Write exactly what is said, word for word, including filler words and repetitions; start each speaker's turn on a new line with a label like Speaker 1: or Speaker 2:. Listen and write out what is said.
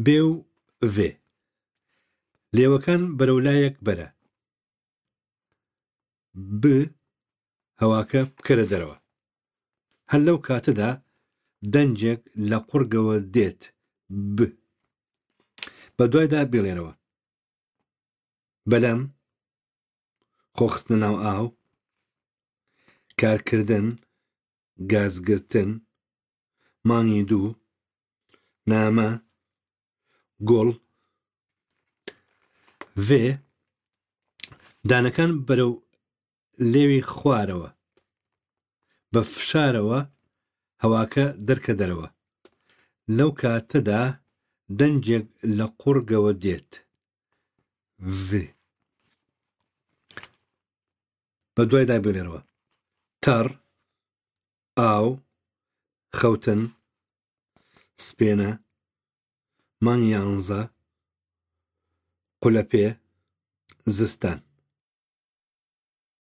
Speaker 1: بێ و ڤێ. لێوەکان بەرەو لایەک بەرە. ب هەواکە بکەرە دەرەوە. هەر لەو کاتەدا دەنگێک لە قوڕگەوە دێت ب. بە دوایدا بیڵێرەوە. بەلەم، خۆخستنە ناو ئاو، کارکردن، گازگرتن، مانگی دوو، نامە، گوڵ. ڤێ دانەکان بەرەو لێوی خوارەوە. بە فشارەوە هەواکە دەرکە دەرەوە. لەو کاتەدا دەنگێک لە قوڕگەوە دێت. ڤ. بە دوایدا بیڵێرەوە. تەڕ، ئاو، خەوتن، سپێنە، مانگی یانزە، قولەپێ، زستان.